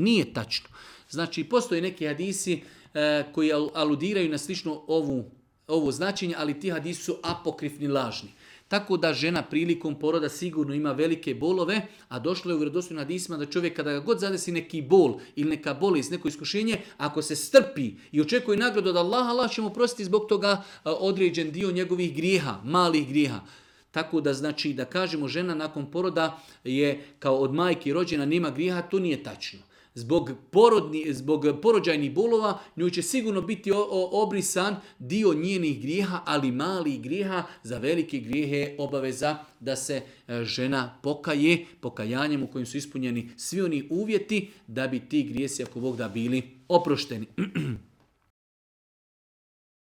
Nije tačno. Znači, postoje neki hadisi koji aludiraju na slično ovo značenje, ali ti hadisi su apokrifni, lažni. Tako da žena prilikom poroda sigurno ima velike bolove, a došlo je u vjerodostojnim hadisima da čovjek kada ga god zadesi neki bol ili neka bolest, neko iskušenje, ako se strpi i očekuje nagradu od Allaha, Allah će mu prostiti zbog toga određen dio njegovih grijeha, malih grijeha. Tako da znači da kažemo žena nakon poroda je kao od majke rođena, nema grijeha, to nije tačno. Zbog porođajnih bolova njoj će sigurno biti obrisan dio njenih grijeha, ali malih grijeha. Za velike grijehe je obaveza da se žena pokaje pokajanjem u kojem su ispunjeni svi oni uvjeti da bi ti grijesi, ako Bog da, bili oprošteni.